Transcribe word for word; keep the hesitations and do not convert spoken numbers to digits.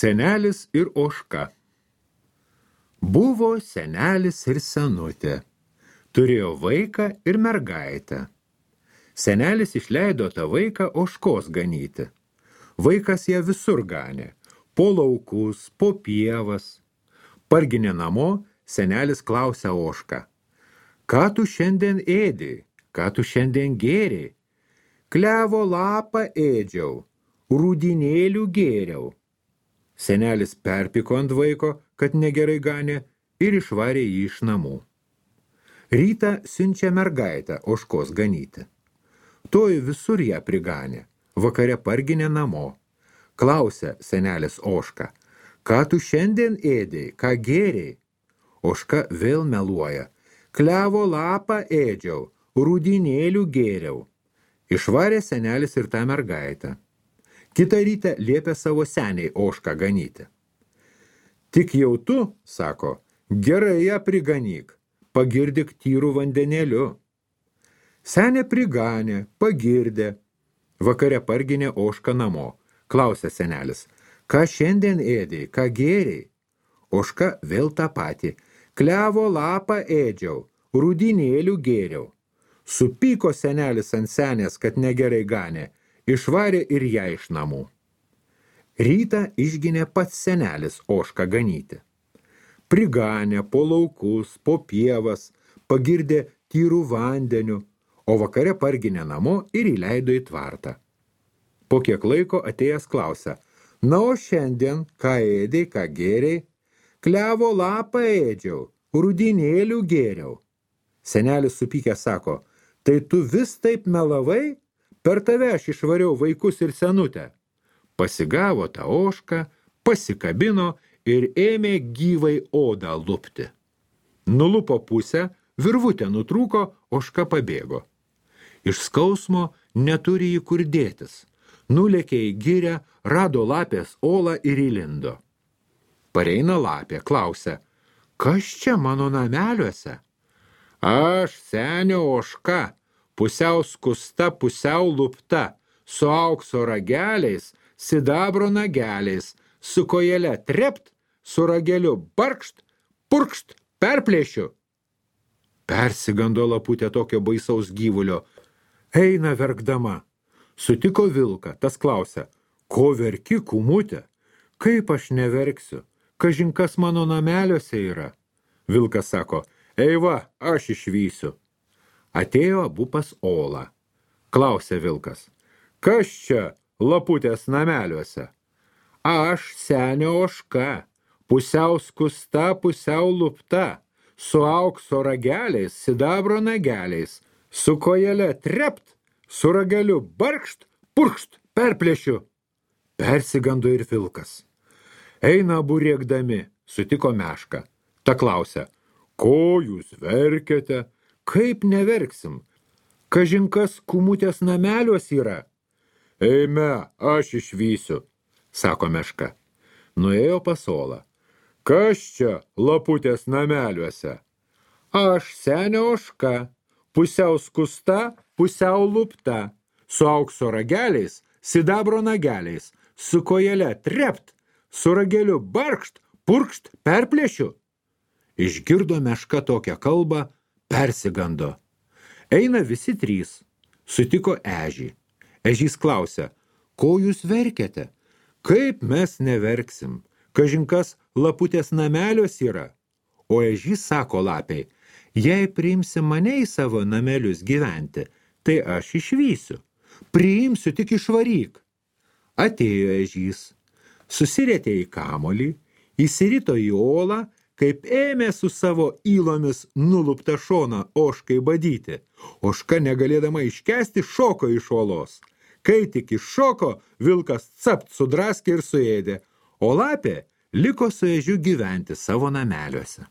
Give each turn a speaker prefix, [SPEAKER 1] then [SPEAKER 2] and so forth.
[SPEAKER 1] Senelis ir ožka. Buvo senelis ir senutė. Turėjo vaiką ir mergaitę. Senelis išleido tą vaiką ožkos ganyti. Vaikas ją visur ganė. Po laukus, po pievas. Parginė namo, senelis klausia ožką. Ką tu šiandien ėdei? Ką tu šiandien gėrei? Klevo lapą ėdžiau, rūdinėlių gėriau. Senelis perpiko ant vaiko, kad negerai ganė, ir išvarė jį iš namų. Rytą siunčia mergaitę ožkos ganyti. Toji visur ją priganė, vakare parginė namo. Klausia senelis ožką, ką tu šiandien ėdei, ką gėrei? Ožka vėl meluoja, klevo lapą ėdžiau, rūdinėlių gėriau. Išvarė senelis ir tą mergaitę. Kitą rytą liepė savo seniai ožką ganyti. Tik jau tu, sako, gerai ją priganyk, pagirdyk tyrų vandenėliu. Senė priganė, pagirdė. Vakare parginė ožką namo. Klausia senelis, ką šiandien ėdei, ką gėrei? Ožka vėl tą patį. Klevo lapą ėdžiau, rūdinėlių gėriau. Supyko senelis ant senės, kad negerai ganė, išvarė ir ją iš namų. Rytą išginė pats senelis ožką ganyti. Priganė po laukus, po pievas, pagirdė tyrų vandeniu, o vakare parginė namo ir įleido į tvartą. Po kiek laiko atėjęs klausia, na o šiandien, ką ėdei, ką gėrei? Klevo lapą ėdžiau, rūdinėlių gėriau. Senelis supykę sako, tai tu vis taip melavai? Per tave aš išvariau vaikus ir senutę. Pasigavo tą ožką, pasikabino ir ėmė gyvai odą lupti. Nulupo pusę, virvutė nutrūko, ožka pabėgo. Iš skausmo neturi jį kur dėtis. Nulėkė į girią, rado lapės olą ir įlindo. Pareina lapė, klausia, kas čia mano nameliuose? Aš senio ožka, pusiau skusta, pusiau lupta, su aukso rageliais, sidabro nageliais, su kojele trept, su rageliu barkšt, purkšt, perplėšiu. Persigando laputė tokio baisaus gyvulio. Eina verkdama. Sutiko vilką, tas klausia, ko verki, kumutė? Kaip aš neverksiu? Kažin kas mano nameliuose yra? Vilkas sako, ei va, aš išvysiu. Atėjo abu pas olą. Klausė vilkas, kas čia laputės nameliuose? Aš senio ožka, pusiau skusta, pusiau lupta, su aukso rageliais, sidabro nageliais, su kojele trept, su rageliu barkšt, purkšt, perplėšiu. Persigando ir vilkas. Eina abu rėkdami, sutiko mešką. Ta klausia, ko jūs verkiate? Kaip neverksim? Kažin kas kumutės nameliuos yra? Eime, aš išvysiu, sako meška. Nuėjo pas olą. Kas čia laputės nameliuose? Aš senio ožka, pusiau skusta, pusiau lupta, su aukso rageliais, sidabro nageliais, su kojele trept, su rageliu barkšt, purkšt, perplėšiu. Išgirdo meška tokią kalbą, persigando. Eina visi trys. Sutiko ežį. Ežys klausia, ko jūs verkiate? Kaip mes neverksim? Kažin kas laputės namelios yra? O ežys sako lapiai, jei priimsi mane į savo namelius gyventi, tai aš išvysiu. Priimsiu, tik išvaryk. Atėjo ežys. Susirietė į kamolį, įsirito į olą, kaip ėmė su savo įlomis nuluptą šoną ožkai badyti. Ožka negalėdama iškęsti šoko iš olos. Kai tik iššoko, vilkas capt sudraskė ir suėdė, o lapė liko su ežiu gyventi savo nameliuose.